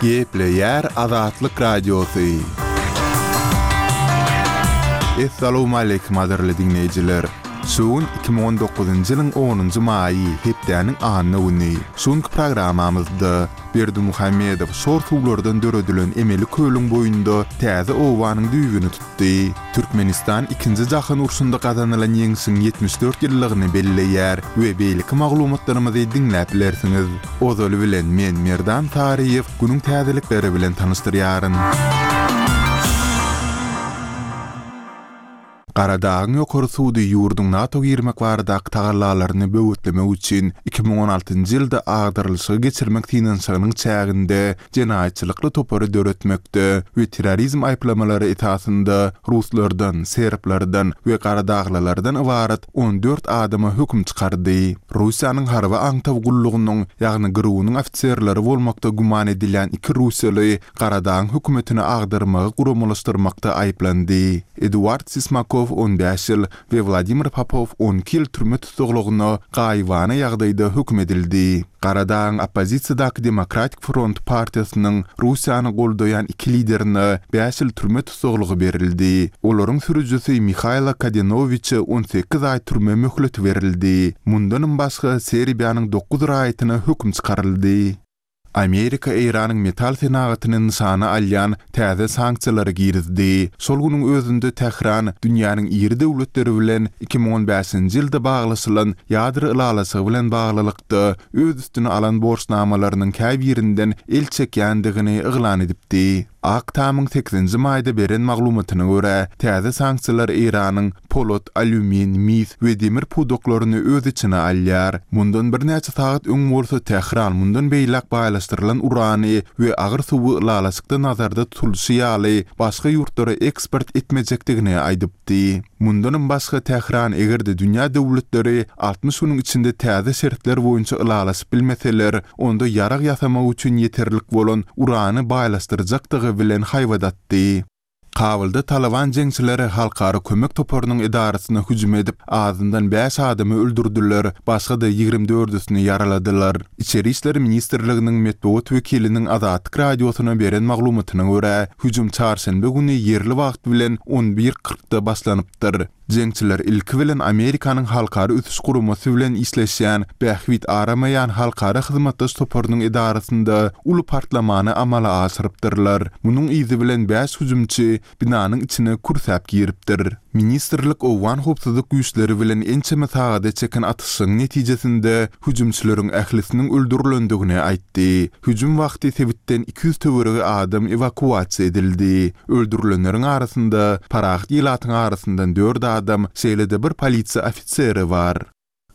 Gepleýär Azatlyk Radiosy. Essalawmaleýkim gadyrly diňleýjiler! Şu gün 2019-njy ýylyň onunjy maýy, hepdäniň anna güni. Şu günki programmamyzda Berdimuhamedow şor suwlardan döredilen emeli kölüň boýunda täze obanyň düýbüni tutdy. Türkmenistan Ikinji jahan urşunda gazanylan ýeňşiň 74 ýyllygyny belleýär we beýleki maglumatlarymyzy diňläp bilersiňiz. Ozaly bilen men Merdan Saryýew günüň täzelikleri bilen tanyşdyrýaryn. Garadagyň ýokary sudy ýurduň NATO girmek baradaky tagallalaryny böwetlemek üçin 2016-njy ýylda agdarylyşygy geçirmek synanyşygynyň çäginde jenaýatçylykly topary döretmekde we terrorizm aýyplamalary esasynda ruslardan, serblerden we garadaglylardan ybarat 14 adama höküm çykardy. Russiýanyň harby aňtaw gullugynyň, ýagny GRU-nyň ofiserleri bolmakda güman edilýän iki russiýaly Garadagyň hökümetini agdarmagy guramalaşdyrmakda aýyplandy. Eduard Sismakow 15 ýyl we Wladimir Popow 12 ýyl türme tussaglygyna gaýybana ýagdaýda höküm edildi. Garadagyň oppozisiýadaky Demokratik front partiýasynyň Russiýany goldaýan iki liderine bäş ýyl türme tussaglygy berildi. Olaryň sürüjisi Mihaýlo Kadenowiçe 18 aý türme möhleti berildi. Mundanam başga Serbiýanyň dokuz raýatyna höküm çykaryldy. Amerika Eýranyň metal senagatyny nyşana alýan täze sanksiýalary girizdi. Şol günüň özünde Tähran dünýäniň iri döwletleri bilen 2015-nji ýylda baglaşylan ýadro ylalaşygy bilen baglylykda öz üstüne alan borçnamalarynyň käbirinden el çekýändigini yglan edipdi. Ak Tamyň sekizinji maýda beren maglumatyna görä, täze sanksiýalar Eýranyň polat, alýumin, mis we demir pudaklaryny öz içine alýar. Mundan birnäçe sagat öň bolsa Tähran mundan beýläk baýlaşdyrylan urany we agyr suwy ylalaşykda nazarda tutulyşy ýaly başga ýurtlara eksport etmejekdigini aýdypdy. Mundanam başga Tähran eger-de dünýä döwletleri 60 günüň içinde täze şertler boýunça ylalaşyp bilmeseler, onda ýarag ýasamak üçin ýeterlik bolan urany baýlaşdyrjakdygy bilen haýbat atdy. Kabulda Talyban jeňçileri halkara kömek toparynyň edarasyna hüjüm edip, azyndan bäş adamy öldürdiler, başga-da ýigrimi dördüsini ýaraladylar. Içeri işler ministrliginiň metbugat wekiliniň Azatlyk Radiosyna beren maglumatyna görä, hüjüm çarşenbe güni ýerli wagt bilen on bir kyrkda başlanypdyr. Jeňçiler ilki bilen Amerikanyň Halkara ösüş guramasy bilen işleşýän Bähbit aramaýan halkara hyzmatdaş toparynyň edarasynda uly partlamany amala aşyrypdyrlar. Munuň yzy bilen bäş hüjümçi binanyň içine kürsäp giripdir. Ministrlik owgan howpsuzlyk güýçleri bilen ençeme sagada çeken atyşygyň netijesinde hüjümçileriň ählisiniň öldürilendigini aýtdy. Hüjüm wagty sebitden 200 töweregi adam ewakuasiýa edildi. Öldürilenleriň arasynda parahat ilatyň arasyndan dört adam, şeýle-de bir polisiýa ofiseri bar.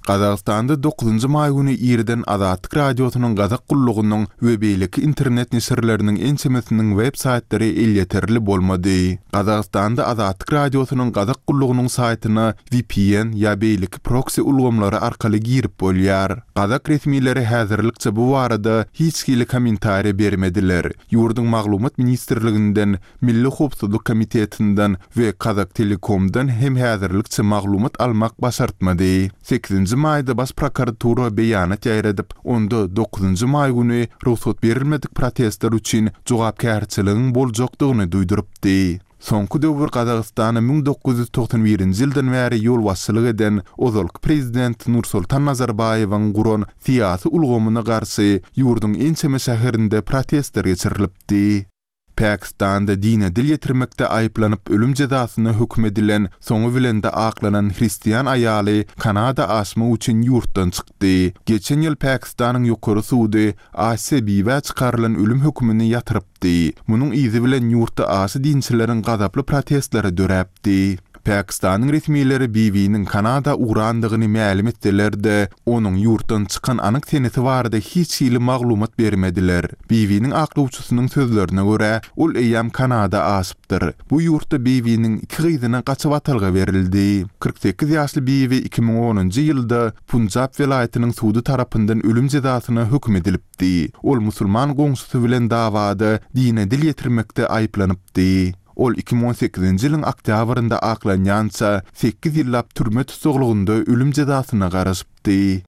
Gazagystanda dokuzynjy maý güni irden Azatlyk Radiosynyň Gazak gullugynyň we beýleki internet neşirleriniň ençemesiniň web saýtlary elýeterli bolmady. Gazagystanda Azatlyk Radiosynyň Gazak gullugynyň saýtyna VPN ýa beýleki proksi ulgamlary arkaly girip bolýar. Gazak resmileri häzirlikçe bu barada hiç hili kommentariýa bermediler. Ýurduň Maglumat ministrliginden, Milli howpsuzlyk komitetinden we Kazaktelekomdan hem häzirlikçe maglumat almak başartmady. Sekizinji maýda Baş prokuratura beýanat ýaýradyp, onda dokuzynjy maý güni rugsat berilmedik protestler üçin jogapkärçiligiň boljakdygyny duýdurypdy. Soňky döwür Gazagystana 1991-nji ýyldan bäri ýolbaşçylyk eden ozalky prezident Nursultan Nazarbaýewiň guran syýasy ulgamyna garşy ýurduň ençeme şäherinde protestler geçirilipdi. Pakistanda dine dil ýetirmekde aýyplanyp ölüm jezasyna höküm edilen, soňy bilen-de aklanan hristian aýaly Kanada aşmak üçin ýurtdan çykdy. Geçen ýyl Pakistanyň ýokary sudy Asiýa Bibä çykarylan ölüm hökümini ýatyrypdy. Di. Munuň yzy bilen ýurtda aşa dinçileriň gazaply protestleri döräpdi. Pakistanyň resmileri Bibiniň Kanada ugrandygyny mälim etseler-de, onuň ýurtdan çykan anyk senesi barada hiç hili maglumat bermediler. Bibiniň aklawçysynyň sözlerine görä, ol eýýäm Kanada aşypdyr. Bu ýurtda Bibiniň iki gyzyna gaçybatalga berildi. 48 ýaşly Bibi 2010-njy ýylda Punjab welaýatynyň sudy tarapyndan ölüm jezasyna höküm edilipdi. Di. Ol musulman goňşusy bilen dawada dine dil ýetirmekde aýyplanypdy. Ol 2018-nji ýylyň oktýabrynda aklanýança sekiz ýyllap türme tussaglygynda ölüm jezasyna garaşypdy.